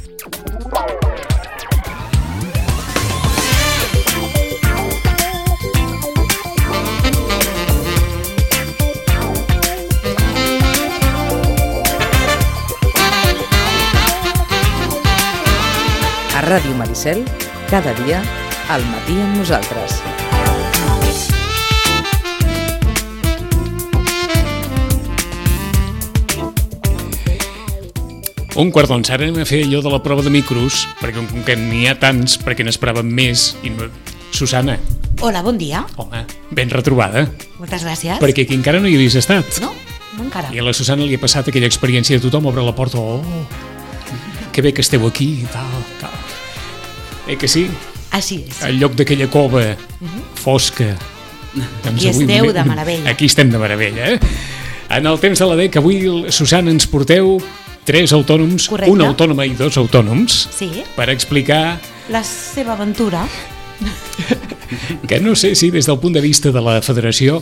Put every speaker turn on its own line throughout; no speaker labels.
A Ràdio Maricel, cada dia, al matí amb nosaltres.
Un quart d'onze, ara anem a fer allò de la prova de micros, perquè com que n'hi ha tants, perquè n'esperàvem més. I no... Susana.
Hola, bon dia.
Home, ben retrobada.
Moltes gràcies.
Perquè aquí encara no hi havies estat.
No encara.
I a la Susana li ha passat aquella experiència de tothom obre la porta, que bé que esteu aquí, tal. Que sí?
Així és.
Al lloc d'aquella cova fosca.
Doncs i esteu de meravella.
Aquí estem de meravella, En el temps de la DEC, avui, Susana, ens porteu 3 autònoms,
correcte,
una autònoma i 2 autònoms,
sí,
per explicar
la seva aventura.
Que no sé si des del punt de vista de la federació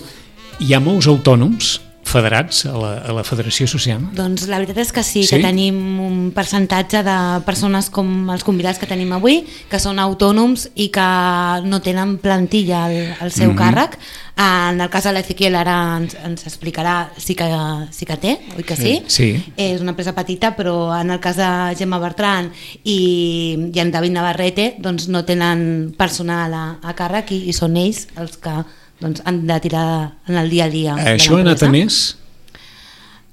hi ha molts autònoms federats a la Federació Sociana?
Doncs la veritat és que sí, que tenim un percentatge de persones com els convidats que tenim avui, que són autònoms i que no tenen plantilla al seu càrrec. En el cas de l'Ezequiel ara ens explicarà sí que té, oi que sí?
Sí.
És una empresa petita, però en el cas de Gemma Bertran i en David Navarrete doncs no tenen personal a càrrec i són ells els que han de tirar en el dia a dia.
Això ha anat a més?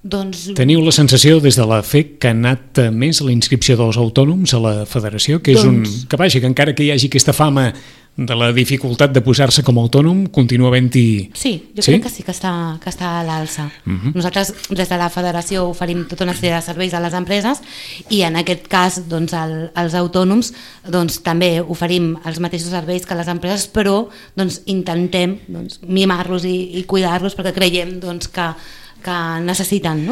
Doncs...
Teniu la sensació des de la FEC que ha anat a més la inscripció dels autònoms a la federació? Que és que vaja, que encara que hi hagi aquesta fama de la dificultat de posar-se com a autònom, continua havent-hi...
Sí, jo crec que sí que està a l'alça. Nosaltres des de la federació oferim tota una sèrie de serveis a les empreses i en aquest cas als autònoms també oferim els mateixos serveis que les empreses, però intentem mimar-los i cuidar-los perquè creiem que necessiten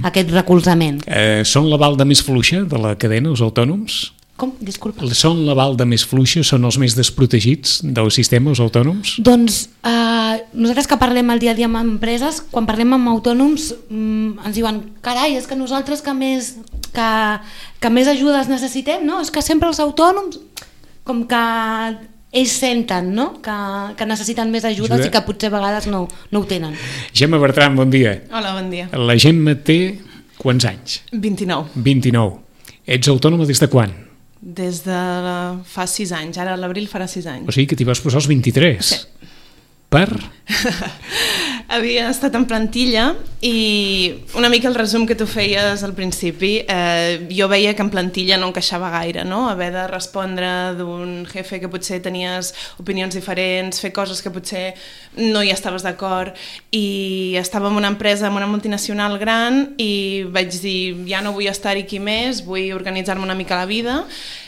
aquest recolzament.
Són la balda més fluixa de la cadena, els autònoms?
Com? Disculpa.
Són la balda més fluixa? Són els més desprotegits del sistema, els autònoms?
Doncs nosaltres que parlem el dia a dia amb empreses, quan parlem amb autònoms ens diuen, carai, és que nosaltres que més ajudes necessitem, no? És que sempre els autònoms com que ells senten que necessiten més ajudes i que potser a vegades no ho tenen.
Gemma Bertran, bon dia.
Hola, bon dia.
La Gemma té quants anys?
29.
29. Ets autònoma des de quan?
Des de fa 6 anys, ara a l'abril farà 6 anys.
O sigui que t'hi vas posar als 23.
Sí.
Per?
Havia estat en plantilla i una mica el resum que tu feies al principi, jo veia que en plantilla no encaixava gaire, no? Haver de respondre d'un jefe que potser tenies opinions diferents, fer coses que potser no hi estaves d'acord, i estava en una empresa, en una multinacional gran, i vaig dir, ja no vull estar aquí més, vull organitzar-me una mica la vida,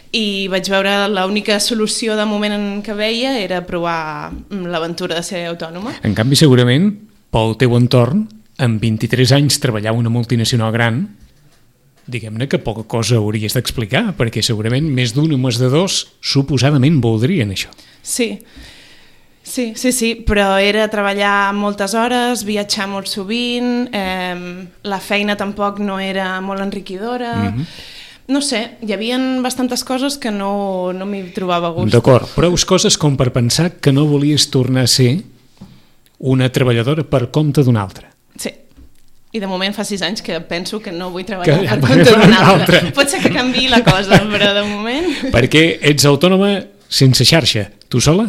i vaig veure l'única solució de moment en què veia era provar l'aventura de ser autònoma.
En canvi, segurament, pel teu entorn, amb 23 anys treballar en una multinacional gran, diguem-ne que poca cosa hauries d'explicar, perquè segurament més d'un o més de dos suposadament voldrien això.
Sí, però era treballar moltes hores, viatjar molt sovint, la feina tampoc no era molt enriquidora... No sé, hi havia bastantes coses que no m'hi trobava a gust.
D'acord, prou coses com per pensar que no volies tornar a ser una treballadora per compte d'una altra.
Sí, i de moment fa 6 anys que penso que no vull treballar per compte d'una altra. Pot ser que canviï la cosa, però de moment...
Perquè ets autònoma sense xarxa, tu sola?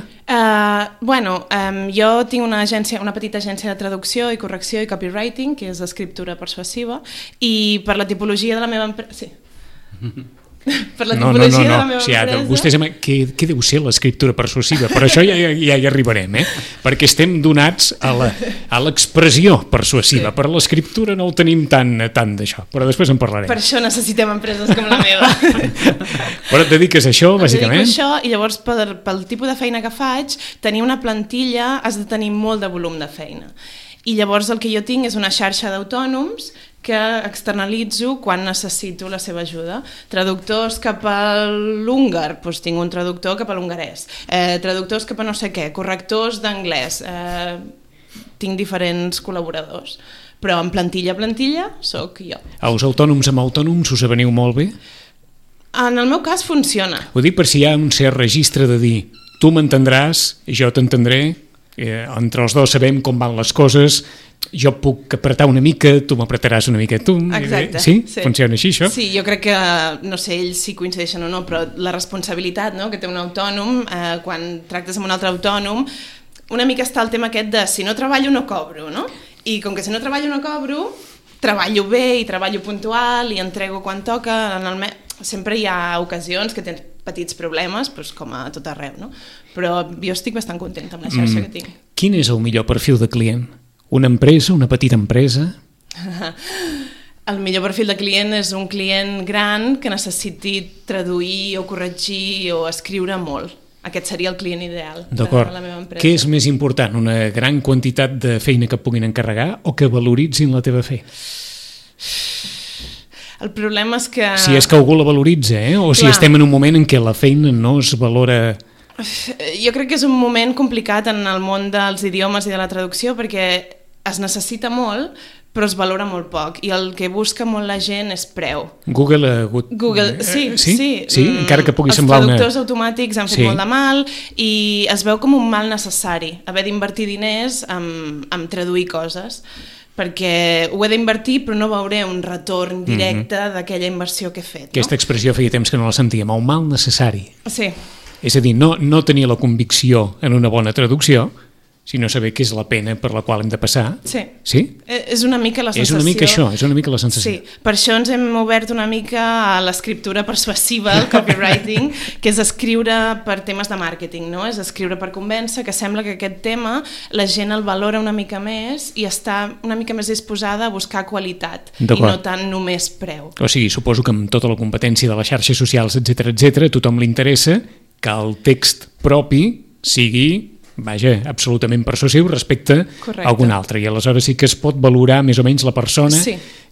Jo tinc una petita agència de traducció i correcció i copywriting, que és escriptura persuasiva, i per la tipologia de la meva empresa... Sí. Per la tipologia de la meva empresa...
Vostès, què deu ser l'escriptura persuasiva? Per això ja hi arribarem, perquè estem donats a l'expressió persuasiva. Per l'escriptura no ho tenim tant d'això, però després en parlarem.
Per això necessitem empreses com la meva.
Però et dediques a això, bàsicament?
Em dedico a això, i llavors pel tipus de feina que faig, tenir una plantilla has de tenir molt de volum de feina. I llavors el que jo tinc és una xarxa d'autònoms que externalitzo quan necessito la seva ajuda. Traductors cap a l'húngar, doncs tinc un traductor cap a l'hongarès. Traductors cap a no sé què, correctors d'anglès. Tinc diferents col·laboradors. Però en plantilla sóc jo.
Els autònoms amb autònoms us aveniu molt bé?
En el meu cas funciona.
Ho dic per si hi ha un cert registre de dir tu m'entendràs, jo t'entendré, entre els dos sabem com van les coses, jo puc apretar una mica, tu m'apretaràs una mica tu.
Exacte.
Sí? Funciona així, això?
Sí, jo crec que, no sé, ells si coincideixen o no, però la responsabilitat, no?, que té un autònom, quan tractes amb un altre autònom, una mica està el tema aquest de si no treballo no cobro, no? I com que si no treballo no cobro, treballo bé i treballo puntual i entrego quan toca, sempre hi ha ocasions que tens petits problemes, doncs com a tot arreu, no? Però jo estic bastant contenta amb la xarxa que tinc.
Quin és el millor perfil de client? Una empresa, una petita empresa?
El millor perfil de client és un client gran que necessiti traduir o corregir o escriure molt. Aquest seria el client ideal de la meva empresa.
Què és més important, una gran quantitat de feina que puguin encarregar o que valoritzin la teva fe?
El problema és que...
Si és que algú la valoritza, o si estem en un moment en què la feina no es valora...
Jo crec que és un moment complicat en el món dels idiomes i de la traducció perquè es necessita molt, però es valora molt poc, i el que busca molt la gent és preu.
Google ha hagut...
Sí.
Encara que pugui semblar una...
Els traductors automàtics han fet molt de mal i es veu com un mal necessari, haver d'invertir diners en traduir coses, perquè ho he d'invertir però no veuré un retorn directe d'aquella inversió que he fet.
Aquesta expressió feia temps que no la sentíem, un mal necessari.
Sí.
És a dir, no tenir la convicció en una bona traducció, sinó saber què és la pena per la qual hem de passar.
Sí.
Sí?
És una mica la sensació.
És una mica això, és una mica la sensació.
Sí, per això ens hem obert una mica a l'escriptura persuasiva, el copywriting, que és escriure per temes de màrqueting, no? És escriure per convèncer, que sembla que aquest tema la gent el valora una mica més i està una mica més disposada a buscar qualitat i no tant només preu.
O sigui, suposo que amb tota la competència de les xarxes socials, etc, a tothom li interessa que el text propi sigui, vaja, absolutament persuasiu respecte a algun altre, i aleshores sí que es pot valorar més o menys la persona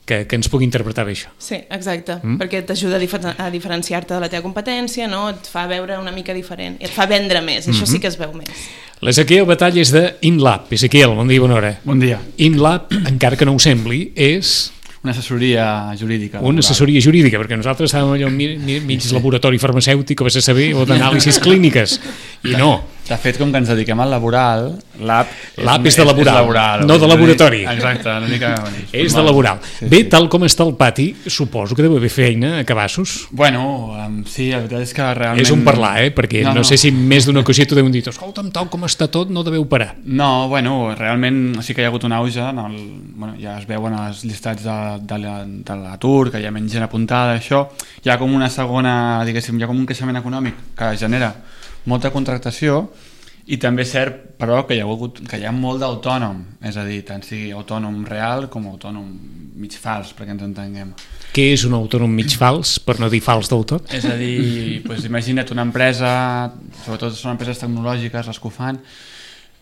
que ens pugui interpretar bé això.
Sí, exacte, perquè t'ajuda a diferenciar-te de la teva competència, no? Et fa veure una mica diferent, i et fa vendre més, això sí que es veu més.
L'Ezequiel Batall és de InLab. Ezequiel, bon dia, bona hora.
Bon dia.
InLab, encara que no ho sembli, és...
Una assessoria jurídica.
Una assessoria jurídica, perquè nosaltres estàvem allò mig laboratori farmacèutic o a saber, o d'anàlisis clíniques, i no.
De fet, com que ens dediquem al laboral,
l'AP és de laboral, no de laboratori.
Exacte, una mica...
És de laboral. Bé, tal com està el pati, suposo que deu haver feina a cabassos.
Bueno, sí, la veritat és que realment...
És un parlar, perquè no sé si més d'una ocasió t'ho deuen dir, escolta'm, tal com està tot, no deveu parar.
No, bueno, realment sí que hi ha hagut un auge, ja es veuen els llistats de l'atur, que hi ha menys gent apuntada, això. Hi ha com una segona, diguéssim, hi ha com un creixement econòmic que genera molta contractació, i també és cert, però, que hi ha molt d'autònom, és a dir, tant sigui autònom real com autònom mig fals, perquè ens entenguem.
Què és un autònom mig fals, per no dir fals del tot?
És a dir, imagina't una empresa, sobretot són empreses tecnològiques les que ho fan,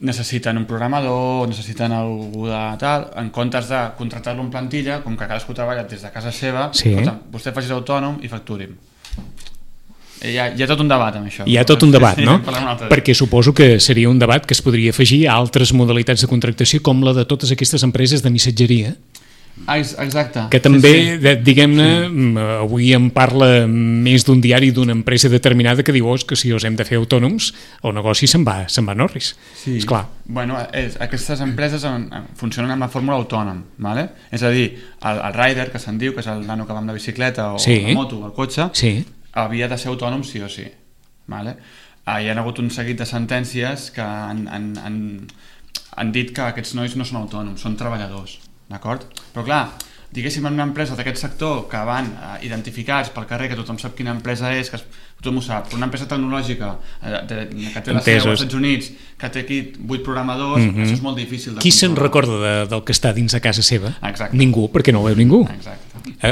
necessiten un programador, necessiten algú de tal, en comptes de contractar-lo en plantilla, com que cadascú treballa des de casa seva, vostè faci autònom i facturi'm. Hi ha tot un debat amb això.
Hi ha tot un debat, no? Perquè suposo que seria un debat que es podria afegir a altres modalitats de contractació com la de totes aquestes empreses de missatgeria.
Exacte.
Que també, diguem-ne, avui en parla més d'un diari d'una empresa determinada que diu que si us hem de fer autònoms, el negoci se'n va a Norris.
Sí.
Esclar.
Bueno, aquestes empreses funcionen amb la fórmula autònom, ¿vale? És a dir, el rider, que se'n diu, que és el nano que va amb la bicicleta o la moto o el cotxe, havia de ser autònom sí o sí. Vale? Hi ha hagut un seguit de sentències que han dit que aquests nois no són autònoms, són treballadors, d'acord? Però clar, diguéssim, en una empresa d'aquest sector que van identificats pel carrer, que tothom sap quina empresa és, que tothom ho sap, però una empresa tecnològica que té la seu als Estats Units, que té aquí 8 programadors, això és molt difícil de
Qui se'n recorda del que està dins de casa seva?
Exacte.
Ningú, perquè no ho veu ningú.
Exacte.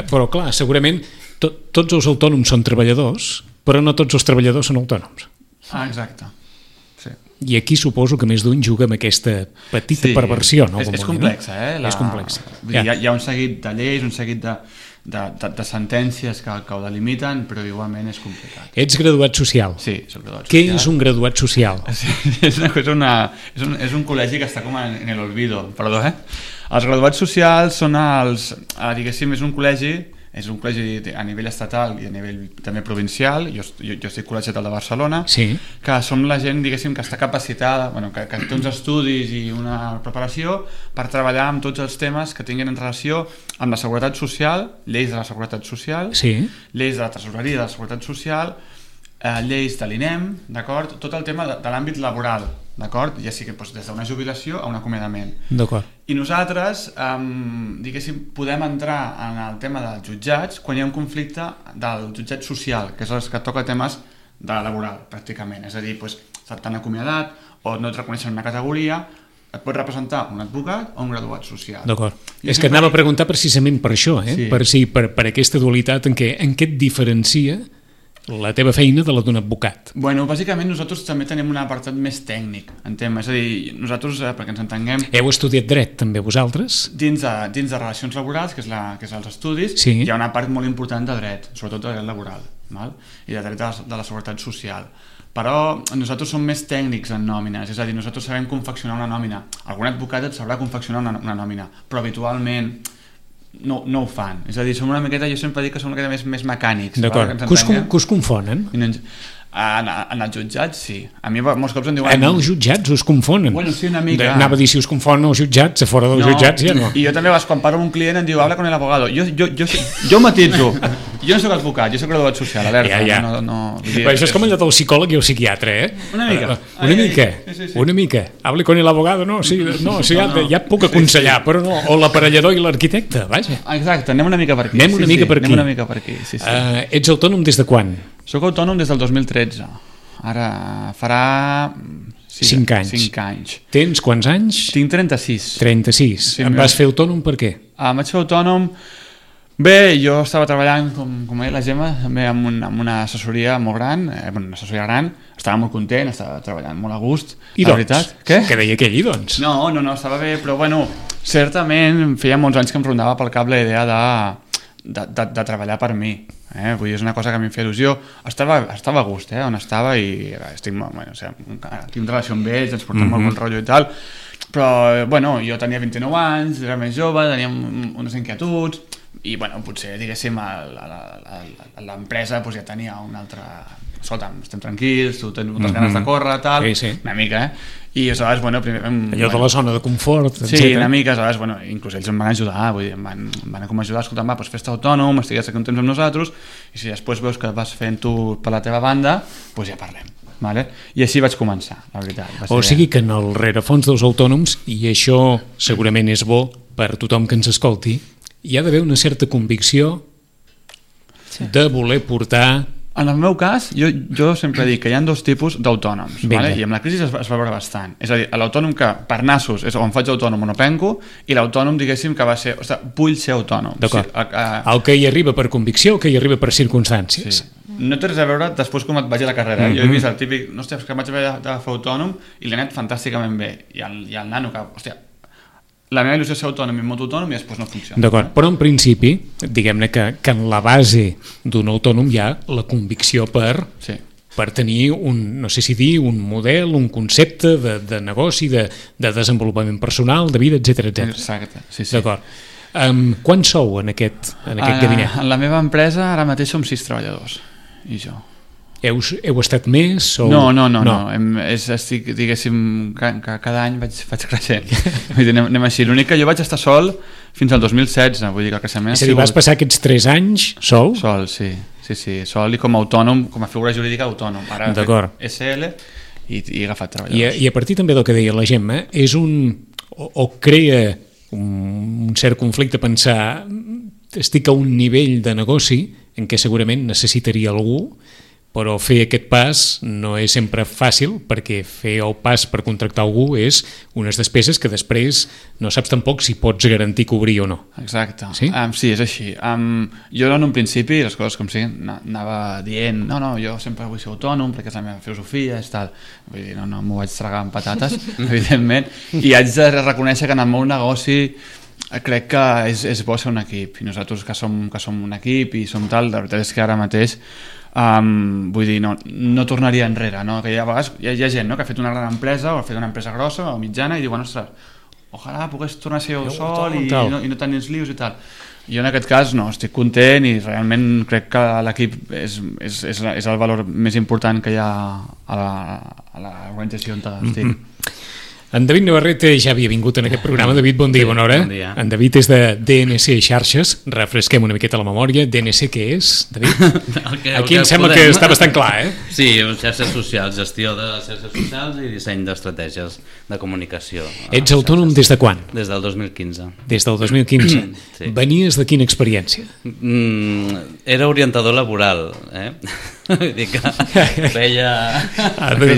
Però clar, segurament tots els autònoms són treballadors, però no tots els treballadors són autònoms.
Exacte. Sí.
I aquí suposo que més d'un juga amb aquesta petita perversió. No?
És complexa,
És complexa.
Hi ha un seguit de lleis, un seguit de sentències que ho delimiten, però igualment és complicat.
Ets graduat social.
Sí, soc graduat social.
Què és un graduat social?
És un col·legi que està com en el olvido, perdó, Els graduats socials són diguéssim, és un col·legi, és un col·legi a nivell estatal i a nivell també provincial, jo estic col·legiat al de Barcelona, que som la gent, diguéssim, que està capacitada, que té uns estudis i una preparació per treballar amb tots els temes que tinguin en relació amb la seguretat social, lleis de la seguretat social, lleis de la tresoreria de la seguretat social, lleis de l'INEM, d'acord? Tot el tema de l'àmbit laboral, d'acord? Ja sigui des d'una jubilació a un acomiadament.
D'acord.
I nosaltres, diguéssim, podem entrar en el tema dels jutjats quan hi ha un conflicte del jutjat social, que és el que toca temes de la laboral, pràcticament. És a dir, t'han acomiadat o no et reconeixen una categoria, et pot representar un advocat o un graduat social.
D'acord. És que anava a preguntar precisament per això, per aquesta dualitat en què et diferencia la teva feina de la d'un advocat.
Bueno, bàsicament nosaltres també tenim un apartat més tècnic en tema, és a dir, nosaltres, perquè ens entenguem...
Heu estudiat dret també vosaltres?
Dins de relacions laborals, que és els estudis, hi ha una part molt important de dret, sobretot de dret laboral, i de dret de la seguretat social. Però nosaltres som més tècnics en nòmines, és a dir, nosaltres sabem confeccionar una nòmina. Algun advocat et sabrà confeccionar una nòmina, però habitualment no ho fan. És a dir, som una miqueta, jo sempre dic que som una miqueta més mecànics.
D'acord. Que us confonen?
En els jutjats, sí. A mi molts cops em diuen...
En els jutjats us confonen?
Bueno, sí, una mica.
Anava a dir si us confonen els jutjats, a fora dels jutjats ja no.
I jo també, quan parlo amb un client, em diu, habla con el abogado. Jo matitzo. Jo no soc advocat, jo soc graduat social, alerta.
Això és com allò del psicòleg i el psiquiatre,
Una mica.
Una mica. Hable con el abogado, no, ja et puc aconsellar, però no. O l'aparellador i l'arquitecte, vaja.
Exacte, anem una mica per aquí.
Anem una mica per aquí. Ets autònom des de quan?
Soc autònom des del 2013. Ara farà...
5 anys.
5 anys.
Tens quants anys?
Tinc 36.
36. Em vas fer autònom per què?
Em vaig fer autònom... Bé, jo estava treballant, com ha dit la Gemma, també amb una assessoria molt gran, una assessoria gran, estava molt content, estava treballant molt a gust.
I doncs? Què? Què deia aquell, i doncs?
No, estava bé, però bueno, certament feia molts anys que em rondava pel cap la idea de treballar per mi. Vull dir, és una cosa que a mi em feia il·lusió. Estava a gust, on estava, i tinc relació amb ells, ens portem molt bon rotllo i tal, però bueno, jo tenia 29 anys, era més jove, tenia unes inquietuds, i bueno, potser, diguéssim, l'empresa ja tenia un altre... Escolta, estem tranquils, tu tens moltes ganes de córrer, tal, una mica, i aleshores, bueno...
Allò de la zona de confort, etc.
Sí, una mica, aleshores, bueno, inclús ells em van ajudar, vull dir, em van com ajudar, escolta, va, fes-te autònom, estigues aquí un temps amb nosaltres, i si després veus que vas fent tu per la teva banda, doncs ja parlem. Vale? I així vaig començar, la veritat.
O sigui que en el rerefons dels autònoms, i això segurament és bo per tothom que ens escolti, hi ha d'haver una certa convicció de voler portar...
En el meu cas, jo sempre dic que hi ha dos tipus d'autònoms, vale? I amb la crisi es va veure bastant. És a dir, l'autònom que per nassos és on faig autònom o no penco, i l'autònom, diguéssim, que va ser... vull ser autònom.
D'acord. El que hi arriba per convicció o que hi arriba per circumstàncies.
Sí. No té res a veure després com et vagi a la carrera. Jo he vist el típic, no, hòstia, que vaig haver de fer autònom i l'he anat fantàsticament bé. I el nano que, hòstia, la meva il·lusió és ser autònom i molt autònom i després no funciona.
D'acord, però en principi, diguem-ne que en la base d'un autònom hi ha la convicció per tenir no sé si dir, un model, un concepte de negoci, de desenvolupament personal, de vida, etc.
Exacte, sí.
D'acord. Quants sou en aquest gabinet?
En la meva empresa ara mateix som 6 treballadors, i jo.
Heu estat més?
No. Estic, diguéssim, que cada any vaig creixent. Anem així. L'únic que jo vaig estar sol fins al 2016, vull dir que el creixement...
És a dir, vas passar aquests 3 anys sol?
Sol, sí. Sol i com a autònom, com a figura jurídica autònom. Ara he fet SL i he agafat treballadors.
I a partir també del que deia la Gemma, és o crea un cert conflicte pensar estic a un nivell de negoci en què segurament necessitaria algú, però fer aquest pas no és sempre fàcil, perquè fer el pas per contractar algú és unes despeses que després no saps tampoc si pots garantir cobrir o no.
Exacte.
Sí?
Sí, és així. Jo en un principi, les coses com sigui, anava dient no, jo sempre vull ser autònom perquè és la meva filosofia i tal. Vull dir, no m'ho vaig tragar amb patates, evidentment, i haig de reconèixer que en el meu negoci crec que és bo ser un equip, i nosaltres que som un equip i som tal, la veritat és que ara mateix vull dir, no tornaria enrere, no? Que hi ha gent que ha fet una gran empresa o ha fet una empresa grossa o mitjana i diuen, ostres, ojalà pogués tornar a ser jo sol i no tenir els lius i tal. Jo en aquest cas no, estic content i realment crec que l'equip és el valor més important que hi ha a l'organització on estic.
En David Navarrete ja havia vingut en aquest programa. David, bon dia, bona hora.
Bon dia.
En David és de DNC Xarxes. Refresquem una miqueta la memòria. DNC què és, David? Aquí em sembla que està bastant clar,
Sí, xarxes socials, gestió de xarxes socials i disseny d'estratègies de comunicació.
Ets autònom des de quan?
Des del 2015.
Des del 2015.
Sí.
Venies de quina experiència?
Era orientador laboral, Vull dir que veia...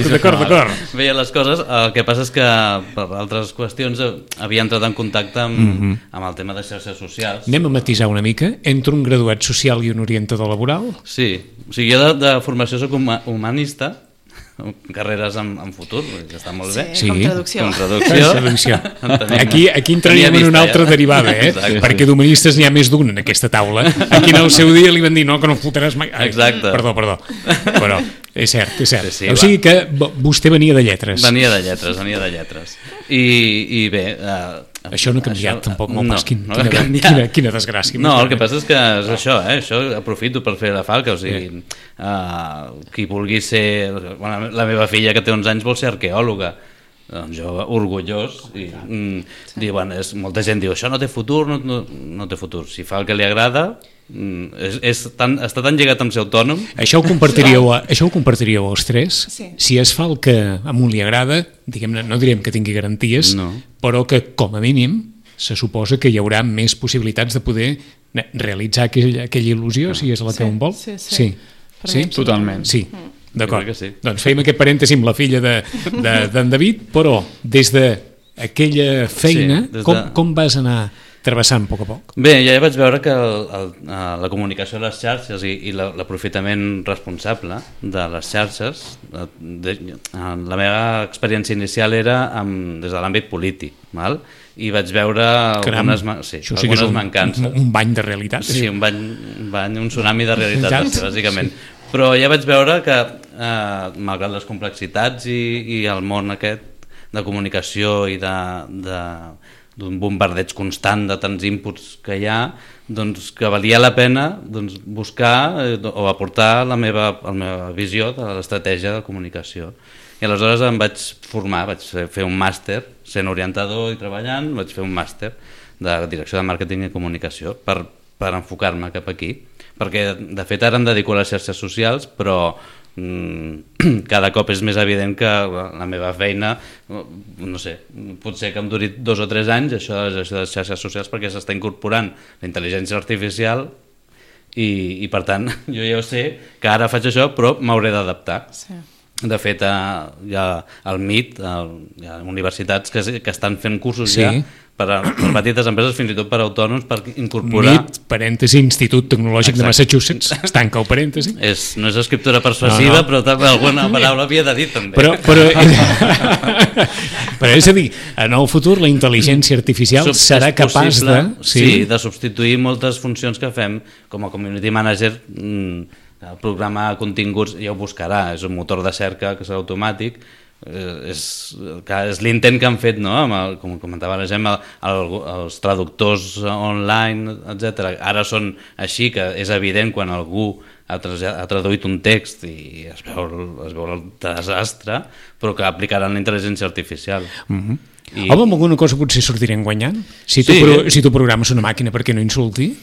D'acord.
Veia les coses. El que passa és que per altres qüestions havia entrat en contacte amb el tema de xarxes socials.
Anem a matisar una mica. Entre un graduat social i un orientador laboral?
Sí. O sigui, jo de formació soc humanista, carreres en futur, que està molt bé.
Sí, com traducció.
Traducció. Aquí entraríem en una altra derivada, perquè d'humanistes n'hi ha més d'un en aquesta taula. Aquí en el seu dia li van dir no, que no fotràs mai.
Exacte.
Perdó. Però és cert.
Sí,
o sigui que vostè venia de lletres.
Venia de lletres. I bé...
Això no ha canviat tampoc molt pas. Quina desgràcia.
No, el que passa és que és això, això aprofito per fer la falca, o sigui, qui vulgui ser... La meva filla, que té 11 anys, vol ser arqueòloga. Doncs jo, orgullós, i molta gent diu, això no té futur, no té futur. Si fa el que li agrada, està tan lligat amb ser autònom.
Això ho compartiríeu els tres?
Sí.
Si es fa el que a un li agrada, diguem-ne, no direm que tingui garanties, però que com a mínim se suposa que hi haurà més possibilitats de poder realitzar aquella il·lusió, si és la que un vol.
Sí.
Totalment.
Sí. D'acord,
sí.
Doncs fèiem aquest parèntesi amb la filla d'en David, però des d'aquella feina, com vas anar travessant a poc a poc?
Bé, ja vaig veure que la comunicació a les xarxes i l'aprofitament responsable de les xarxes, la meva experiència inicial era des de l'àmbit polític, i vaig veure algunes mancances.
Un bany de realitat.
Sí, un bany, un tsunami de realitat, bàsicament. Però ja vaig veure que, malgrat les complexitats i el món aquest de comunicació i d'un bombardeig constant de tants inputs que hi ha, doncs que valia la pena buscar o aportar la meva visió de l'estratègia de comunicació. I aleshores em vaig formar, vaig fer un màster, sent orientador i treballant, vaig fer un màster de direcció de màrqueting i comunicació per enfocar-me cap aquí. Perquè de fet ara em dedico a les xarxes socials, però cada cop és més evident que la meva feina, no sé, potser que em duri 2 o 3 anys això de les xarxes socials, perquè s'està incorporant la intel·ligència artificial i per tant jo ja sé que ara faig això però m'hauré d'adaptar. De fet hi ha el MIT, hi ha universitats que estan fent cursos ja per petites empreses, fins i tot per autònoms, per incorporar...
MIT, parèntesi, Institut Tecnològic de Massachusetts, es tanca el parèntesi.
No és escriptura persuasiva, però també alguna paraula havia de dir, també.
Però és a dir, en el futur la intel·ligència artificial serà capaç de...
de substituir moltes funcions que fem com a community manager. El programa continguts ja ho buscarà, és un motor de cerca que serà automàtic. És l'intent que han fet, com comentava la Gemma, els traductors online, etc. Ara són així, que és evident quan algú ha traduït un text i es veu el desastre, però que aplicaran la intel·ligència artificial.
Home, amb alguna cosa potser sortirem guanyant? Si tu programes una màquina perquè no insulti?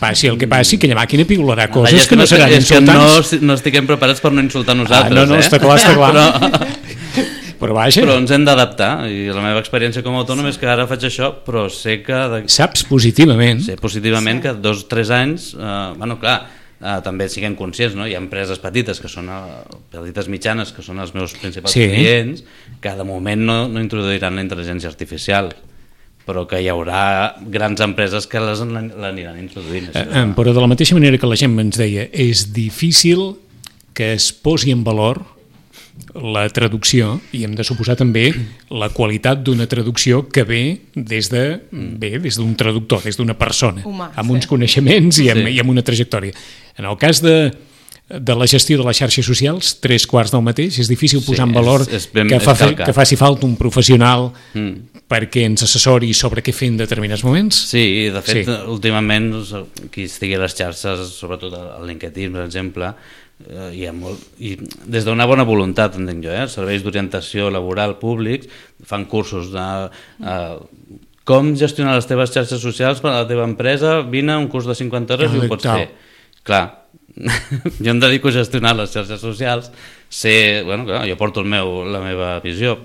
Passi el que passi, aquella màquina piularà coses que no seran insultants.
No estiguem preparats per no insultar nosaltres.
No, està clar. Però
ens hem d'adaptar, i la meva experiència com a autònom és que ara faig això, però sé que...
Saps positivament?
Sé positivament que 2 o 3 anys, també siguem conscients, hi ha empreses petites que són petites mitjanes, que són els meus principals clients, que de moment no introduiran la intel·ligència artificial, però que hi haurà grans empreses que l'aniran introduint.
Però de la mateixa manera que la gent ens deia, és difícil que es posi en valor la traducció, i hem de suposar també la qualitat d'una traducció que ve des d'un traductor, des d'una persona, amb uns coneixements i amb una trajectòria. En el cas de de la gestió de les xarxes socials, 3/4 del mateix. És difícil posar en valor que faci falta un professional perquè ens assessori sobre què fer en determinats moments.
Sí, de fet, últimament, qui estigui a les xarxes, sobretot al LinkedIn, per exemple, hi ha molt, i des d'una bona voluntat, entenc jo, serveis d'orientació laboral públics fan cursos de com gestionar les teves xarxes socials per a la teva empresa, vine a un curs de 50 hores i ho pots fer. Clar, jo em dedico a gestionar les xarxes socials, clar, jo porto la meva visió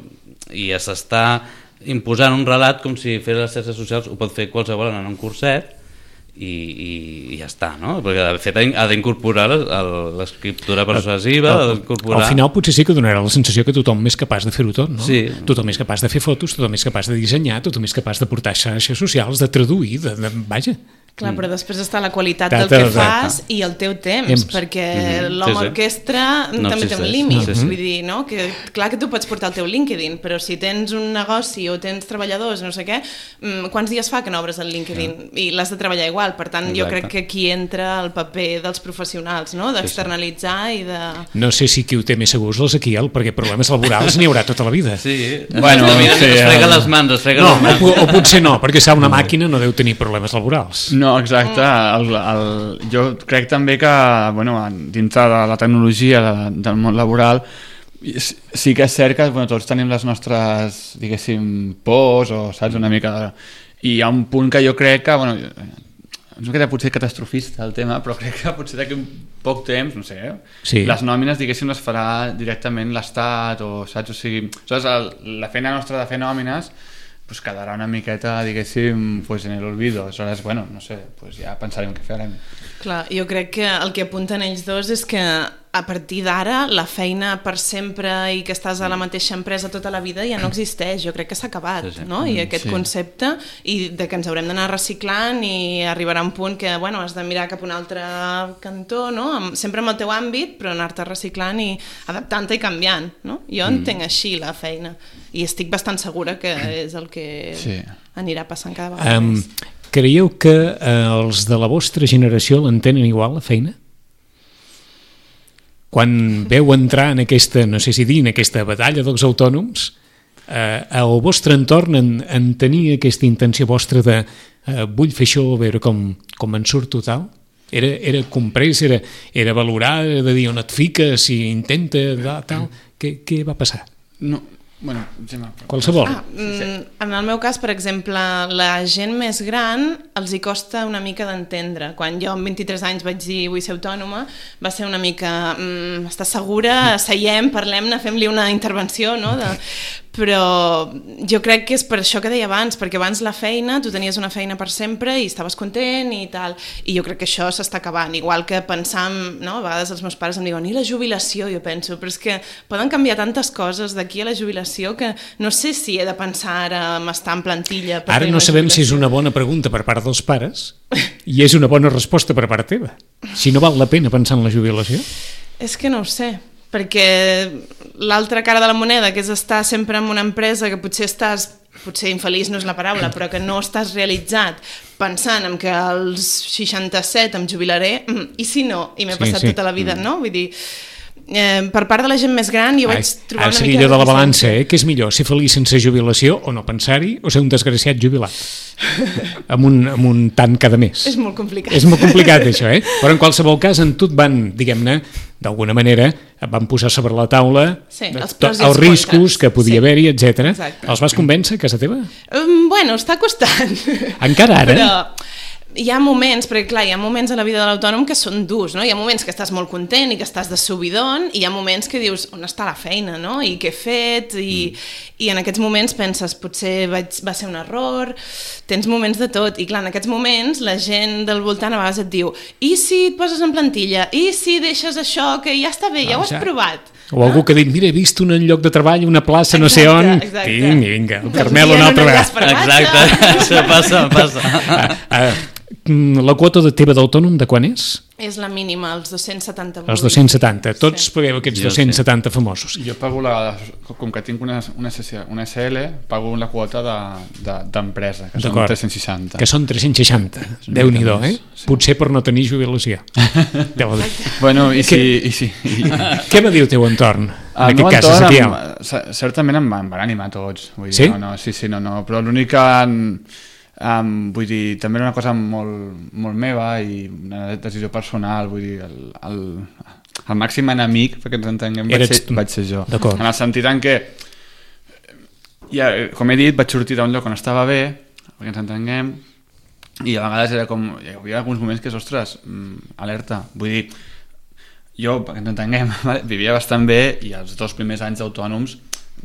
i s'està imposant un relat com si fer les xarxes socials ho pot fer qualsevol en un curset i ja està, no? Perquè de fet ha d'incorporar l'escriptura persuasiva,
al final potser sí que donarà la sensació que tothom és capaç de fer-ho tot, no?
Sí.
Tothom és capaç de fer fotos, tothom és capaç de dissenyar, tothom és capaç de portar xarxes socials, de traduir, vaja.
Clar, però després està la qualitat del que fas i el teu temps, perquè l'home orquestra també té un límit. Vull dir, no? Que clar que tu pots portar el teu LinkedIn, però si tens un negoci o tens treballadors, no sé què, quants dies fa que no obres el LinkedIn? I l'has de treballar igual. Per tant, jo crec que aquí entra el paper dels professionals, no? D'externalitzar i de...
No sé si qui ho té més segurs el Ezequiel, perquè problemes laborals n'hi haurà tota la vida.
Sí, bueno, es frega les mans,
o potser no, perquè una màquina no deu tenir problemes laborals.
No, exacte. Jo crec també que dintre de la tecnologia del món laboral sí que és cert que tots tenim les nostres, diguéssim, pors o saps una mica... I hi ha un punt que jo crec que... no queda potser catastrofista el tema, però crec que potser d'aquí un poc temps, no sé, les nòmines, diguéssim, les farà directament l'Estat o saps? O sigui, la feina nostra de fer nòmines pues quedarà una miqueta, diguéssim, pues en l'olvido. Aleshores, no sé, pues ja pensarem què farem.
Clar, jo crec que el que apunten ells dos és que a partir d'ara la feina per sempre i que estàs a la mateixa empresa tota la vida ja no existeix, jo crec que s'ha acabat, no? I aquest concepte, i de que ens haurem d'anar reciclant i arribarà un punt que, has de mirar cap a un altre cantó, no? Sempre amb el teu àmbit, però anar-te reciclant i adaptant-te i canviant, no? Jo entenc així la feina i estic bastant segura que és el que anirà passant cada vegada més.
Creieu que els de la vostra generació l'entenen igual, la feina? Quan veu entrar en aquesta, no sé si dir, en aquesta batalla dels autònoms, al vostre entorn en tenir aquesta intenció vostra de vull fer això, a veure com en surto tal? Era comprès, era valorar, era de dir on et fiques i intenta tal? Què va passar?
No,
qualsevol.
En el meu cas, per exemple, la gent més gran els hi costa una mica d'entendre. Quan jo amb 23 anys vaig dir vull ser autònoma, va ser una mica estàs segura? Seiem, parlem-ne, fem-li una intervenció, no? Però jo crec que és per això que deia abans, perquè abans la feina, tu tenies una feina per sempre i estaves content i tal, i jo crec que això s'està acabant, igual que pensar, no? A vegades els meus pares em diuen, i la jubilació? Jo penso, però és que poden canviar tantes coses d'aquí a la jubilació que no sé si he de pensar ara en estar en plantilla.
Ara no sabem si és una bona pregunta per part dels pares i és una bona resposta per part teva. Si no val la pena pensar en la jubilació?
És que no ho sé, perquè l'altra cara de la moneda, que és estar sempre en una empresa que potser infeliç no és la paraula, però que no estàs realitzat pensant en que als 67 em jubilaré, i si no? I m'he passat tota la vida, no? Vull dir, per part de la gent més gran jo vaig trobar una mica...
Ara de la balança, què és millor, ser feliç sense jubilació o no pensar-hi, o ser un desgraciat jubilat? amb un tant cada mes.
És molt complicat.
És molt complicat això, però en qualsevol cas en tu et van, diguem-ne, d'alguna manera et van posar sobre la taula els riscos que podia haver-hi, etc. Els vas convèncer a casa teva?
Està costant.
Encara ara?
Però hi ha moments, perquè clar, hi ha moments a la vida de l'autònom que són durs, no? Hi ha moments que estàs molt content i que estàs de subidon, i hi ha moments que dius, on està la feina, no? I què he fet? I en aquests moments penses, potser va ser un error, tens moments de tot, i clar, en aquests moments la gent del voltant a vegades et diu, i si et poses en plantilla? I si deixes això, que ja està bé, ja ho has provat?
O algú que ha dit, mira, he vist un lloc de treball, una plaça, no sé on, vinga, el Carmel una altra vegada.
Exacte, això passa.
La quota teva d'autònom de quan és?
És la mínima, els 270.
Els 270. Tots pagueu aquests 270 famosos.
Jo pago, com que tinc una SL, pago la quota d'empresa, que són 360.
Que són 360. Déu-n'hi-do, eh? Sí. Potser per no tenir jubilació.
Bueno, i sí.
Què va dir el teu entorn? En aquest cas, Ezequiel?
Certament em van animar tots. Vull dir,
sí?
No, però l'únic que... vull dir, també era una cosa molt meva i una decisió personal, vull dir, el màxim enemic, perquè ens entenguem, vaig ser jo. En el sentit en què, ja, com he dit, vaig sortir d'un lloc on estava bé, perquè ens entenguem, i a vegades era com, hi havia alguns moments que és, ostres, alerta, vull dir, jo, perquè ens entenguem, vivia bastant bé i els 2 primers anys d'autònoms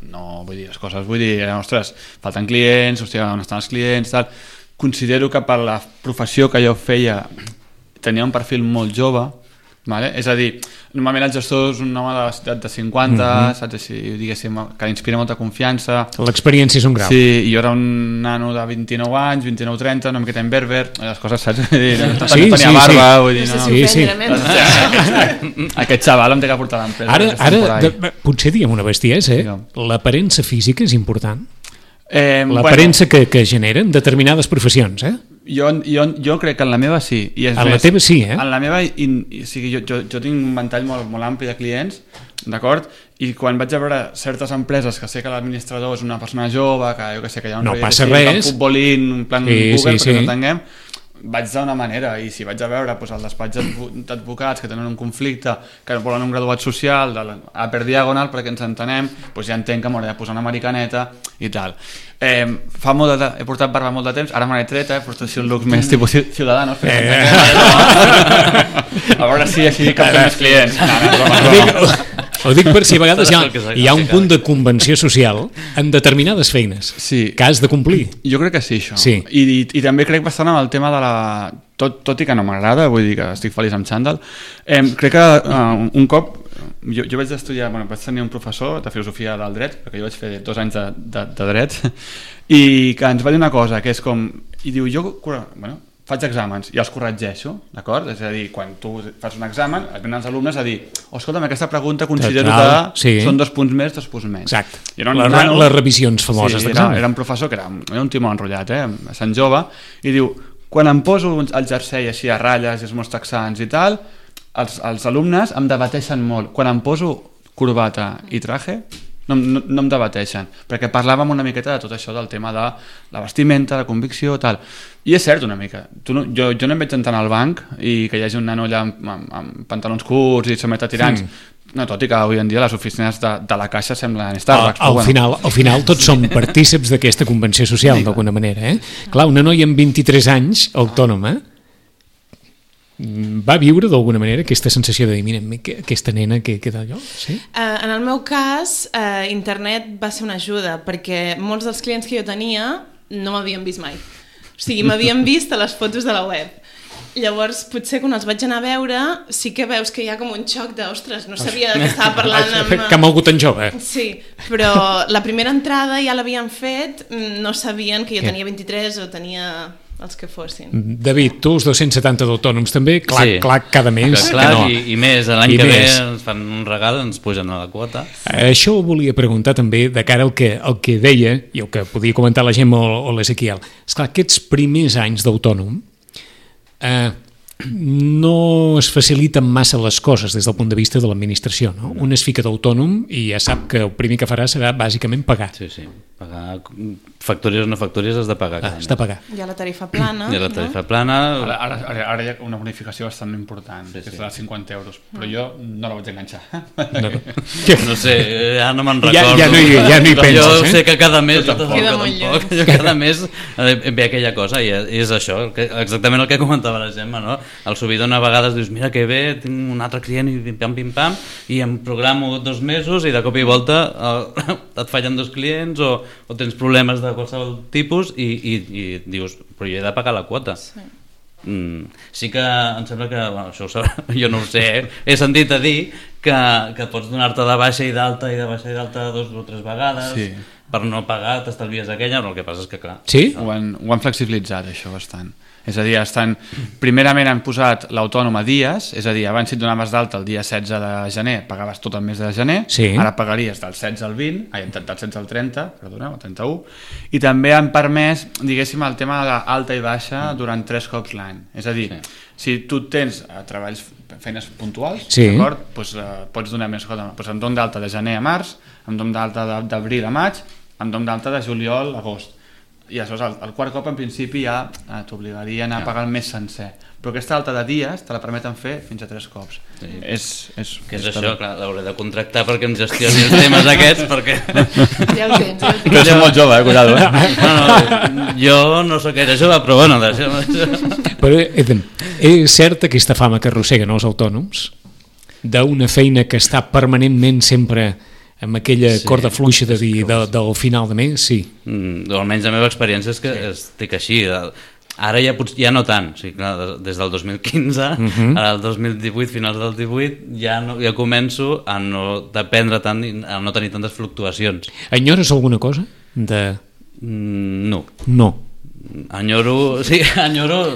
no, vull dir, les coses, vull dir, ostres, falten clients, hòstia, on estan els clients, tal. Considero que per la professió que jo feia tenia un perfil molt jove, vale? És a dir, normalment el gestor és un home de 50, saps així, diguéssim, que inspira molta confiança.
L'experiència és un grau.
Sí, i jo era un nano de 29 anys, 29-30, una miqueta en berber, les coses, saps? No tenia barba, vull dir, no.
Sí.
Aquest xaval em té que portar a l'empresa.
Ara, potser diguem una bestiesa, l'aparença física és important. L'aparença que generen determinades professions,
Jo crec que en la meva sí. I
en la teva sí, eh?
En la meva, jo tinc un ventall molt ampli de clients, d'acord? I quan vaig a veure certes empreses que sé que l'administrador és una persona jove, que jo que sé, que hi ha un futbolín, un plan Google, perquè no entenguem, vaig d'una manera, i si vaig a veure el despatx d'advocats que tenen un conflicte, que volen un graduat social per diagonal perquè ens entenem, ja entenc que m'hauré de posar una americaneta i tal. He portat barba molt de temps, ara me l'he tret, porto així un look més tipus Ciudadanos, a veure si així captem més clients.
Ho dic per si a vegades hi ha un punt de convenció social en determinades feines que has de complir.
Jo crec que sí, això. I també crec bastant amb el tema de la... Tot i que no m'agrada, vull dir que estic feliç amb xandall, crec que un cop jo vaig estudiar, vaig tenir un professor de filosofia del dret, perquè jo vaig fer 2 anys de dret, i que ens va dir una cosa, que és com... I diu, faig exàmens i els corregeixo, d'acord? És a dir, quan tu fas un examen, et venen els alumnes a dir, escolta'm, aquesta pregunta considero que són 2 punts més, 2 punts menys.
Exacte. Les revisions famoses d'examen.
Era un professor que era un timó enrotllat, bastant jove, i diu, quan em poso el jersei així a ratlles i els meus texans i tal, els alumnes em debateixen molt. Quan em poso corbata i traje, no em debateixen, perquè parlàvem una miqueta de tot això del tema de la vestimenta, la convicció, tal. I és cert una mica. Jo no em veig sentant al banc i que hi hagi un nano allà amb pantalons curts i someta tirants. No, tot i que avui en dia les oficines de la Caixa semblen Starbucks.
Al final tots som partíceps d'aquesta convenció social, d'alguna manera. Clar, una noia amb 23 anys, autònoma, va viure d'alguna manera aquesta sensació de dir, mira, aquesta nena que queda allò? Sí?
En el meu cas, internet va ser una ajuda, perquè molts dels clients que jo tenia no m'havien vist mai. O sigui, m'havien vist a les fotos de la web. Llavors, potser quan els vaig anar a veure, sí que veus que hi ha com un xoc de, ostres, no sabia que estava parlant amb...
Que ha mogut tan jove.
Sí, però la primera entrada ja l'havien fet, no sabien que jo tenia 23 o tenia... els que fossin.
David, tu els 270 d'autònoms també, clac, cada mes.
Clar, i més, l'any que ve ens fan un regal, ens pugen a la quota.
Això ho volia preguntar també de cara al que deia, i el que podia comentar la Gemma o l'Ezequiel. Esclar, aquests primers anys d'autònom no es faciliten massa les coses des del punt de vista de l'administració, no? Un es fica d'autònom i ja sap que el primer que farà serà bàsicament pagar.
Sí, pagar factúries o no factúries has de pagar.
Has de pagar.
Hi ha la tarifa plana.
Hi ha la tarifa plana.
Ara hi ha una bonificació bastant important, que és de 50 euros, però jo no la vaig enganxar.
No sé, ja no me'n recordo.
Ja no hi penses.
Jo sé que cada mes
cada
mes ve aquella cosa i és això, exactament el que comentava la Gemma, no? Al subidon a vegades dius, mira que bé, tinc un altre client i pim-pam, i em programo 2 mesos i de cop i volta et fallen 2 clients o tens problemes de qualsevol tipus i dius, però jo he de pagar la quota. Sí que em sembla que, això jo no ho sé, he sentit a dir que pots donar-te de baixa i d'alta i de baixa i d'alta 2 o 3 vegades per no pagar, t'estalvies aquella, però el que passa és que clar...
Sí?
Ho han flexibilitzat això bastant. És a dir, primerament han posat l'autònom a dies, és a dir, abans si et donaves d'alta el dia 16 de gener, pagaves tot el mes de gener, ara pagaries del 16 al 20, del 16 al 30, perdoneu, al 31, i també han permès, diguéssim, el tema de l'alta i baixa durant 3 cops l'any. És a dir, si tu tens treballs, feines puntuals, d'acord, pots donar més cosa. Em dono d'alta de gener a març, em dono d'alta d'abril a maig, em dono d'alta de juliol a agost. I aleshores el quart cop en principi ja t'obligarien a pagar el mes sencer, però aquesta alta de dies te la permeten fer fins a 3 cops.
Què és això? Clar, l'hauré de contractar perquè em gestioni els temes aquests, perquè...
Ja ho tens.
Però soc molt jove, cuidado.
Jo no sóc gaire jove, però bueno...
Però és cert aquesta fama que arrosseguen els autònoms d'una feina que està permanentment sempre amb aquella corda fluixa de dir del final de mes, sí.
Almenys la meva experiència és que estic així. Ara ja no tant. O sigui, clar, des del 2015 al 2018, finals del 18, ja començo a no dependre tant, a no tenir tantes fluctuacions.
Enyores alguna cosa?
No.
No.
Enyoro...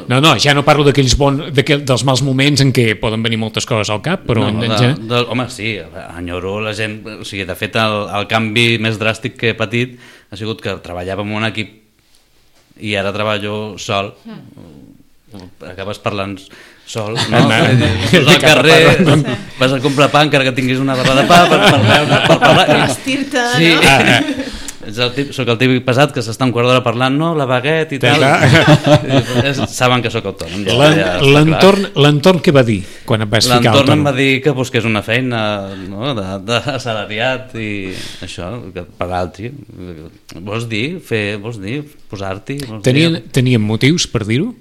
No, ja no parlo dels mals moments en què poden venir moltes coses al cap, però...
Home, sí, enyoro la gent... O sigui, de fet, el canvi més dràstic que he patit ha sigut que treballava en un equip i ara treballo sol. Acabes parlant sol, no? Vas al carrer, vas a comprar pa encara que tinguis una barra de pa per parlar...
Vestir-te, no?
Soc el típic pesat que s'està un quart d'hora parlant, no? La baguette i tal. Saben que sóc autònom.
L'entorn què va dir quan et vas ficar autònom?
L'entorn em va dir que busqués una feina d'assalariat i això, per altri. Vols dir, posar-t'hi?
Tenien motius per dir-ho?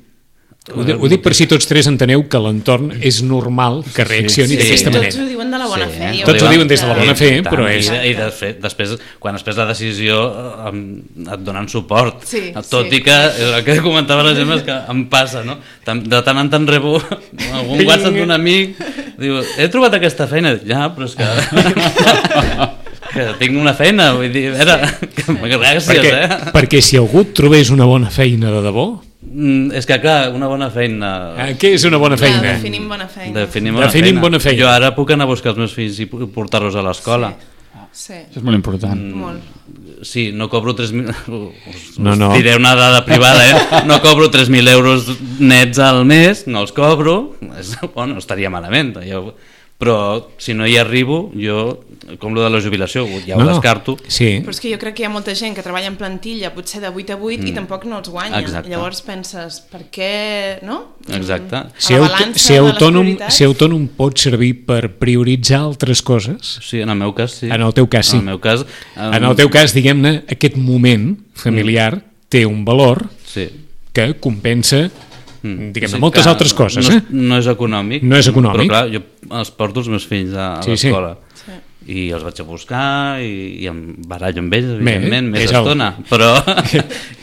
Ho dic per si tots tres enteneu que l'entorn és normal que reaccioni d'aquesta manera.
Tots ho diuen de la bona fe.
Tots ho diuen des de la bona fe, però és...
I després, quan es pres la decisió, et donen suport. Tot i que el que comentava la gent és que em passa, no? De tant en tant rebo algun WhatsApp d'un amic, diu, he trobat aquesta feina. Ja, però és que tinc una feina, vull dir, gràcies,
Perquè si algú et trobés una bona feina de debò...
És que clar, una bona feina...
Què és una bona feina?
Definim bona feina.
Definim bona feina.
Jo ara puc anar a buscar els meus fills i portar-los a l'escola.
Sí.
Això és molt important.
Sí, no cobro 3.000... No. Diré una dada privada, No cobro 3.000 euros nets al mes, no els cobro. Bueno, estaria malament. Però si no hi arribo, jo, com lo de la jubilació, ja ho descarto.
Sí.
Però és que jo crec que hi ha molta gent que treballa en plantilla, potser de 8 a 8, i tampoc no els guanya.
Exacte.
Llavors penses, per què, no?
Exacte.
Ser autònom pot servir per prioritzar altres coses?
Sí, en el meu cas, sí.
En el teu cas, sí. En el teu cas, diguem-ne, aquest moment familiar té un valor que compensa diguem-ne, moltes altres coses.
No és econòmic.
No és econòmic.
Però clar, jo els porto els meus fills a l'escola. I els vaig a buscar i em barallo amb ells, evidentment, més estona. Però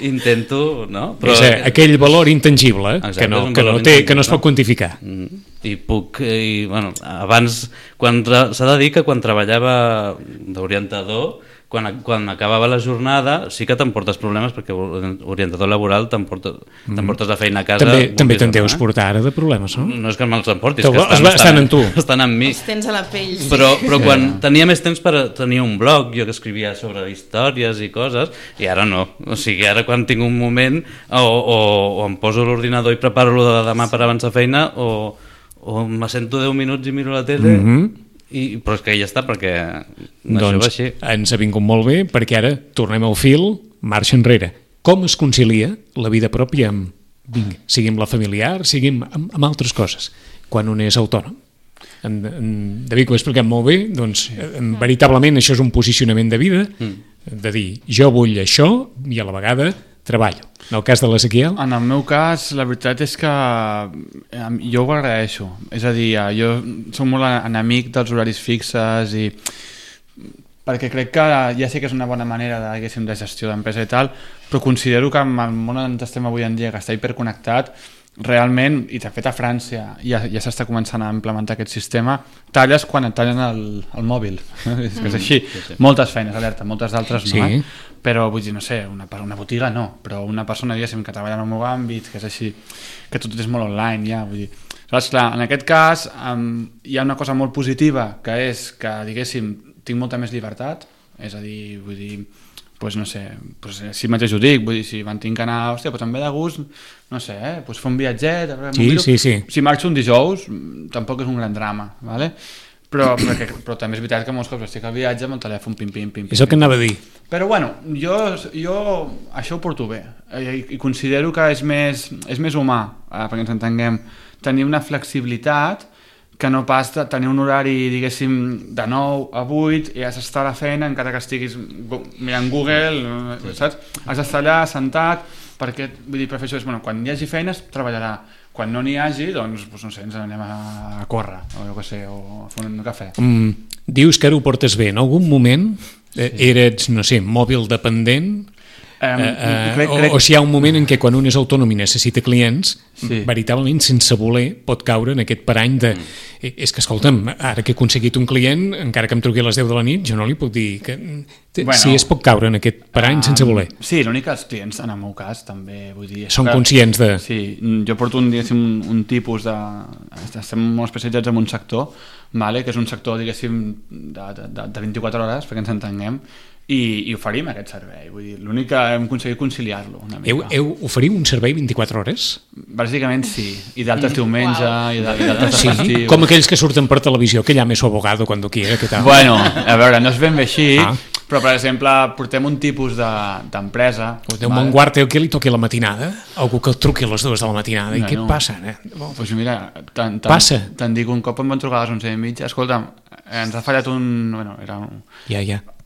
intento... No? Però
és aquell valor intangible que no es pot quantificar.
I puc... abans, s'ha de dir que quan treballava d'orientador, quan acabava la jornada sí que t'emportes problemes perquè orientador laboral t'emportes la feina a casa.
També te'n deus portar ara de problemes, no?
No és que me'ls emportis,
que estan en tu.
Estan en mi.
Els tens a la pell.
Però quan tenia més temps per tenir un blog, jo que escrivia sobre històries i coses, i ara no. O sigui, ara quan tinc un moment o em poso l'ordinador i preparo-lo de demà per avançar feina o m'assento 10 minuts i miro la tele però és que ja està, perquè això va així.
Ens ha vingut molt bé, perquè ara tornem al fil, marxa enrere. Com es concilia la vida pròpia sigui amb la familiar, sigui amb altres coses, quan un és autònom? En David ho ha explicat molt bé, doncs veritablement això és un posicionament de vida, de dir, jo vull això i a la vegada treballo. En el cas de l'Ezequiel?
En el meu cas, la veritat és que jo ho agraeixo. És a dir, jo soc molt enemic dels horaris fixes i perquè crec que ja sé que és una bona manera de gestió d'empresa i tal, però considero que amb el món on estem avui en dia, que està hiperconnectat, realment, i de fet a França ja s'està començant a implementar aquest sistema, talles quan et tallen el mòbil. És que és així. Moltes feines, alerta, moltes d'altres no. Però vull dir, no sé, una botiga no, però una persona, diguéssim, que treballa en el meu àmbit, que és així, que tot és molt online ja, vull dir. Llavors, clar, en aquest cas hi ha una cosa molt positiva, que és que, diguéssim, tinc molta més llibertat, és a dir, vull dir, pues no sé, pues si mateix ho dic, vull dir, si van tinc que anar, hòstia, pues em ve de gust, no sé, pues fer un viatget, si marxo un dijous, tampoc és un gran drama, ¿vale? Però també és veritat que molts cops estic al viatge amb el telèfon pim.
És el que anava a dir.
Però bueno, jo això ho porto bé i considero que és més humà, perquè ens entenguem, tenir una flexibilitat que no pas tenir un horari, diguéssim, de 9 a 8 i has d'estar a la feina encara que estiguis mirant Google, saps? Has d'estar allà sentat, perquè, vull dir, prefereixo, quan hi hagi feines, treballarà. Quan no n'hi hagi, doncs, no sé, ens anem a córrer, o jo què sé, o a fer un cafè.
Dius que ara ho portes bé. En algun moment eres, no sé, mòbil dependent? O si hi ha un moment en què quan un és autònom i necessita clients, veritablement sense voler pot caure en aquest parany de és que escolta'm, ara que he aconseguit un client, encara que em truqui a les 10 de la nit, jo no li puc dir que si es pot caure en aquest parany sense voler.
Sí, l'únic que els clients, en el meu cas, també vull dir...
Són conscients de...
Sí, jo porto un tipus de... Estem molt especialitzats en un sector, que és un sector, diguéssim, de 24 hores, perquè ens entenguem, i oferim aquest servei. Vull dir, l'únic que hem aconseguit conciliar-lo una mica.
Oferiu un servei 24 hores?
Bàsicament sí, i d'altres diumenge i d'altres festius.
Com aquells que surten per televisió, que llame su abogado cuando quiera, què tal?
Bueno, a veure, no és ben bé així, però per exemple portem un tipus d'empresa...
Déu me'n guarda que li toqui la matinada, algú que el truqui a les 2 de la matinada, i què passa?
Doncs mira, te'n dic, un cop em van trucar a les 11:30, escolta'm, ens ha fallat un... Bueno, era un...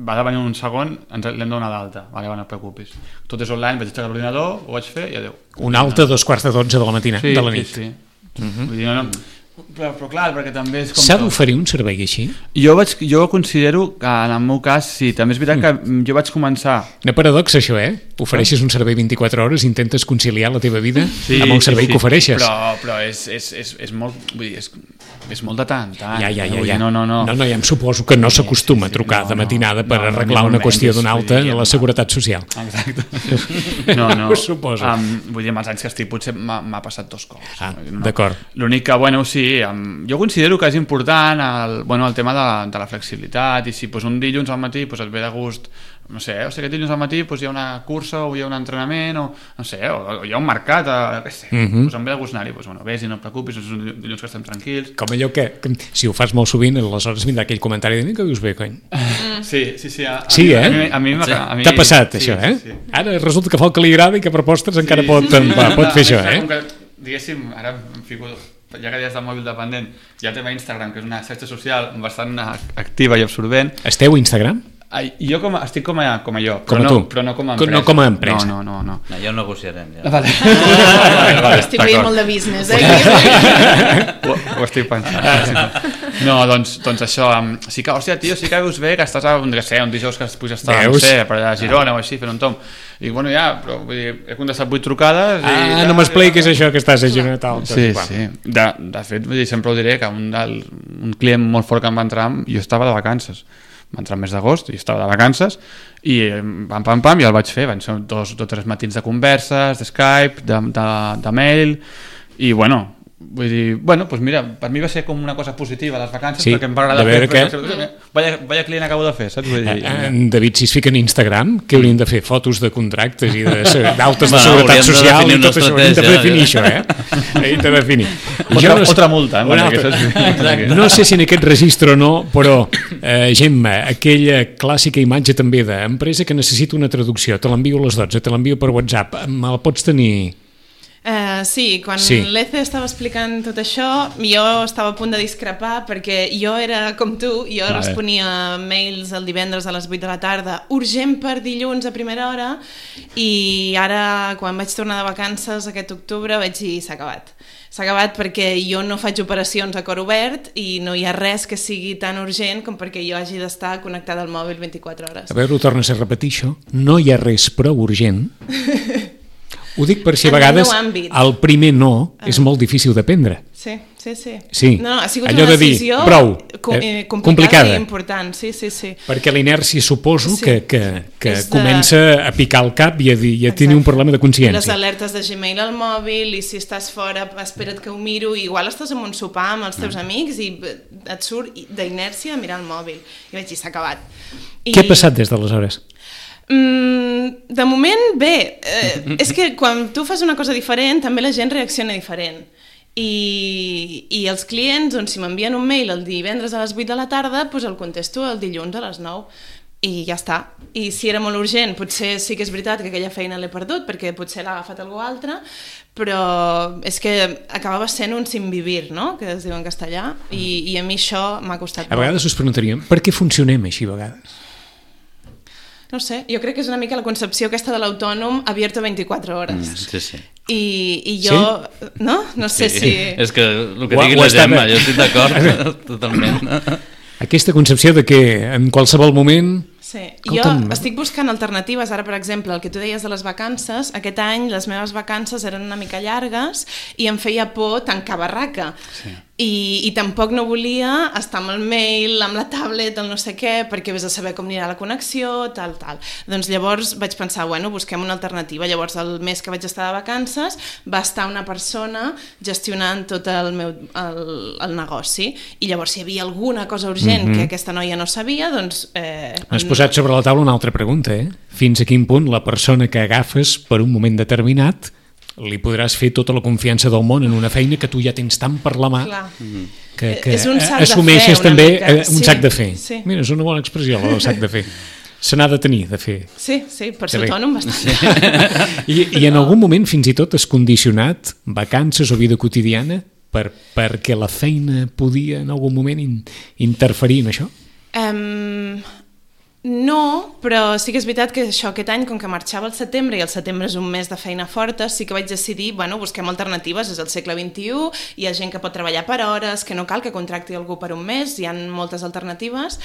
Va de venir un segon, l'hem donat d'alta, no et preocupis. Tot és online, vaig aixecar l'ordinador, ho vaig fer i adeu.
Un alta a 2:45 de la matina, de la nit.
Sí. Vull dir, no... Però clar, perquè també és com...
S'ha d'oferir un servei així?
Jo considero que en el meu cas sí, també és veritat que jo vaig començar...
Una paradoxa això, Ofereixes un servei 24 hores, intentes conciliar la teva vida amb el servei que ofereixes.
Però és molt... Vull dir, és molt de tant.
Ja. No, ja em suposo que no s'acostuma a trucar de matinada per arreglar una qüestió d'una alta a la Seguretat Social.
Exacte. No.
Ho suposo.
Vull dir, amb els anys que estic potser m'ha passat 2 cops.
D'acord.
L'únic que, sí, jo considero que és important el tema de la flexibilitat, i si un dilluns al matí et ve de gust, no sé, o sigui, aquest dilluns al matí hi ha una cursa o hi ha un entrenament o no sé, o hi ha un mercat, em ve de gust anar-hi, vés i no et preocupis, és un dilluns que estem tranquils.
Com allò que si ho fas molt sovint, aleshores vindrà aquell comentari de que dius bé, cony.
Sí.
A mi t'ha passat això, Ara resulta que fa el que li agrada i que per postres encara pot fer això,
Diguéssim, ara em fico... Ja que ja és del mòbil dependent, ja té Instagram, que és una xarxa social bastant activa i absorbent.
Esteu a Instagram?
Jo estic com a jo,
però
no com a empresa.
No com a empresa.
No.
Ja ho negociarem.
Vale.
Estic veient molt de business,
Ho estic pensant. No, doncs això, sí que, hòstia, tio, sí que veus bé que estàs un dijous que puguis estar, no sé, per allà a Girona o així, fent un tomb. I bueno, però vull dir, he contestat 8 trucades i...
no m'expliquis això que estàs a Girona tal.
Sí. De fet, vull dir, sempre ho diré, que un client molt fort que em va entrar, jo estava de vacances. Va entrar el mes d'agost i estava de vacances i pam, i el vaig fer. Van ser 2 o 3 matins de converses, de Skype, de mail, i bueno, vull dir, doncs mira, per mi va ser com una cosa positiva les vacances, perquè em va agradar fer. Vaya client acabo de fer, saps?
David, si es fica en Instagram, què haurien de fer? Fotos de contractes i d'altes de seguretat social i tot això, haurien de definir això, Haurien de definir.
Otra multa.
No sé si en aquest registre o no, però Gemma, aquella clàssica imatge també d'empresa que necessita una traducció, te l'envio a les 12, te l'envio per WhatsApp, me la pots tenir...
Sí, quan l'Ece estava explicant tot això, jo estava a punt de discrepar perquè jo era com tu, jo responia mails el divendres a les 8 de la tarda, urgent per dilluns a primera hora, i ara quan vaig tornar de vacances aquest octubre vaig dir s'ha acabat. S'ha acabat perquè jo no faig operacions a cor obert i no hi ha res que sigui tan urgent com perquè jo hagi d'estar connectada al mòbil 24 hores.
A veure, ho tornes a repetir això, no hi ha res prou urgent Ho dic per si a vegades el primer no és molt difícil de prendre.
Sí. No, ha sigut
allò
una
de dir,
decisió
prou,
complicada i important. Sí.
Perquè l'inèrcia suposo que comença a picar el cap i a tenir un problema de consciència.
Les alertes de Gmail al mòbil, i si estàs fora, espera't que ho miro, i igual estàs en un sopar amb els teus amics i et surt d'inèrcia a mirar el mòbil. I vaig dir, s'ha acabat.
Què ha passat des d'aleshores?
De moment, bé. És que quan tu fas una cosa diferent, també la gent reacciona diferent. I els clients, doncs, si m'envien un mail el divendres a les 8 de la tarda, doncs el contesto el dilluns a les 9 i ja està. I si era molt urgent, potser sí que és veritat que aquella feina l'he perdut perquè potser l'ha agafat algú altre, però és que acabava sent un sin vivir, no?, que es diu en castellà, i a mi això m'ha costat molt.
A vegades us preguntaríem, per què funcionem així a vegades?
No sé, jo crec que és una mica la concepció aquesta de l'autònom abierto 24 hores.
Sí.
I jo, sí? No sé si...
És que el que digui la Gemma, jo estic d'acord totalment.
Aquesta concepció de que en qualsevol moment...
Sí, jo estic buscant alternatives. Ara, per exemple, el que tu deies de les vacances, aquest any les meves vacances eren una mica llargues i em feia por tancar barraca. Sí. I tampoc no volia estar amb el mail, amb la tablet, el no sé què, perquè vés a saber com anirà la connexió, tal. Doncs llavors vaig pensar, bueno, busquem una alternativa. Llavors el mes que vaig estar de vacances va estar una persona gestionant tot el negoci, i llavors si hi havia alguna cosa urgent que aquesta noia no sabia, doncs...
Has posat sobre la taula una altra pregunta, Fins a quin punt la persona que agafes per un moment determinat li podràs fer tota la confiança del món en una feina que tu ja tens tant per la mà que assumeixes també un sac de fer. Mira, és una bona expressió, el sac de fer. Se n'ha de tenir, de fer.
Sí, per ser autònom bastant.
I en algun moment fins i tot has condicionat vacances o vida quotidiana perquè la feina podia en algun moment interferir en això?
No, però sí que és veritat que aquest any, com que marxava al setembre, i el setembre és un mes de feina forta, sí que vaig decidir, busquem alternatives, és el segle XXI, hi ha gent que pot treballar per hores, que no cal que contracti algú per un mes, hi ha moltes alternatives.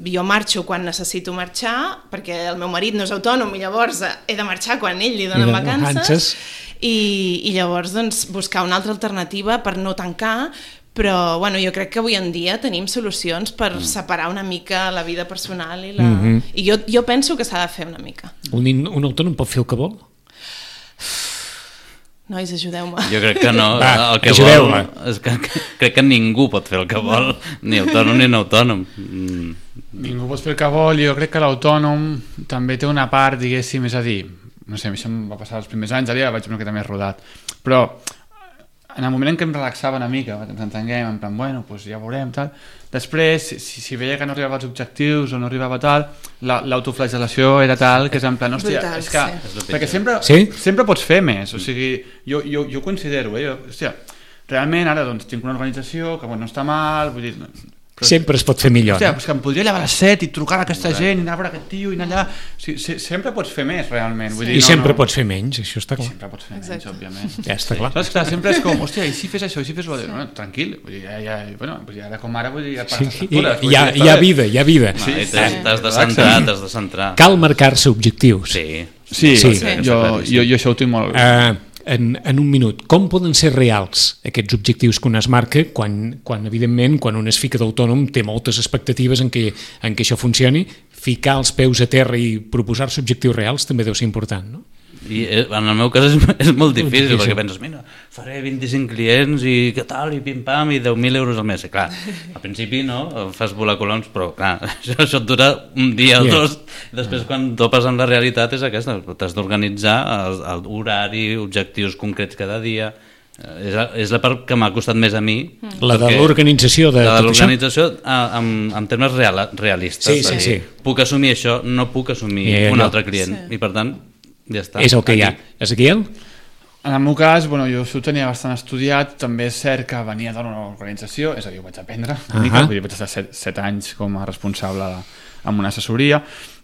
Jo marxo quan necessito marxar, perquè el meu marit no és autònom, i llavors he de marxar quan ell li donen vacances, i llavors doncs, buscar una altra alternativa per no tancar. Però jo crec que avui en dia tenim solucions per separar una mica la vida personal i la... I jo penso que s'ha de fer una mica.
Un autònom pot fer el que vol?
Nois, ajudeu-me.
Jo crec que no. El que vol és que crec que ningú pot fer el que vol, ni autònom ni no autònom.
Ningú pot fer el que vol, i jo crec que l'autònom també té una part, diguéssim, és a dir, no sé, això em va passar els primers anys, ara vaig una miqueta més rodat, però en el moment en què em relaxava una mica, ens entenguem, en plan, bueno, doncs ja veurem, tal. Després, si veia que no arribava als objectius o no arribava tal, l'autoflagel·lació era tal que és en plan, hòstia, és que... Perquè sempre pots fer més, o sigui, jo considero, hòstia, realment ara doncs tinc una organització que no està mal, vull dir...
Sempre es pot fer millor.
Hòstia, és que em podria llevar a les 7 i trucar a aquesta gent i anar a veure aquest tio i anar allà... Sempre pots fer més, realment. Vull dir,
I sempre pots fer menys, això està clar.
Sempre pots fer menys, òbviament.
Ja està clar.
Saps que sempre és com, hòstia, i si fes això, i si fes allò... Bueno, tranquil, vull dir, ara com ara, vull dir, ja pagues factures.
Hi ha vida, hi ha vida.
T'has de centrar.
Cal marcar-se objectius.
Sí,
jo això ho tinc molt...
En un minut, com poden ser reals aquests objectius que un es marca quan evidentment, quan un es fica d'autònom té moltes expectatives en què això funcioni, ficar els peus a terra i proposar-se objectius reals també deu ser important, no?
I en el meu cas és molt difícil perquè penses, mira, faré 25 clients i què tal, i pim-pam, i 10.000 euros al mes. I clar, al principi no, fas volar coloms, però clar, això et dura un dia o dos, i després quan topes amb la realitat és aquesta, t'has d'organitzar l'horari, objectius concrets cada dia. És la part que m'ha costat més a mi.
La de l'organització de tot això?
La de l'organització en termes realistes.
Sí.
Puc assumir això, no puc assumir un altre client, i per tant ja està.
És el que hi ha. Ezequiel?
En el meu cas, jo ho tenia bastant estudiat, també és cert que venia d'una organització, és a dir, ho vaig aprendre una mica, vull dir, vaig estar 7 anys com a responsable amb una assessoria,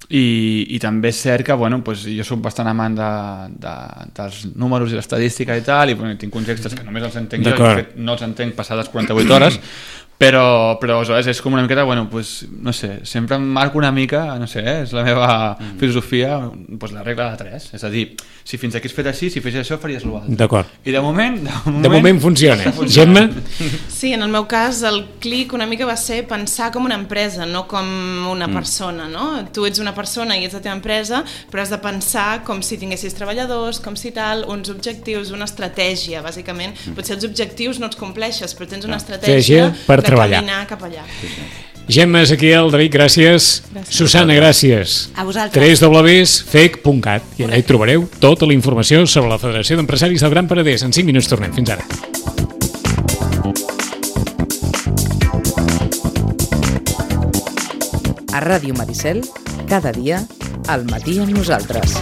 i també és cert que jo soc bastant amant dels números i l'estadística i tal, i tinc contextes que només els entenc jo, i de fet no els entenc passades 48 hores, però aleshores és com una miqueta, bueno, pues, no sé, sempre em marco una mica, no sé, és la meva filosofia, pues, la regla de 3, és a dir, si fins aquí has fet així, si fes això faries l'altre.
D'acord.
I de moment
funciona. Gemma?
Sí, en el meu cas el clic una mica va ser pensar com una empresa, no com una persona, no? Tu ets una persona i ets la teva empresa, però has de pensar com si tinguessis treballadors, com si tal, uns objectius, una estratègia, bàsicament. Potser els objectius no els compleixes, però tens una estratègia per treballar. Caminar cap allà.
Gemma, Ezequiel, David, gràcies. Susana, gràcies.
A vosaltres.
www.fec.cat i allà hi trobareu tota la informació sobre la Federació d'Empresaris del Gran Penedès. En 5 minuts tornem. Fins ara.
A Ràdio Maricel, cada dia, al matí amb nosaltres.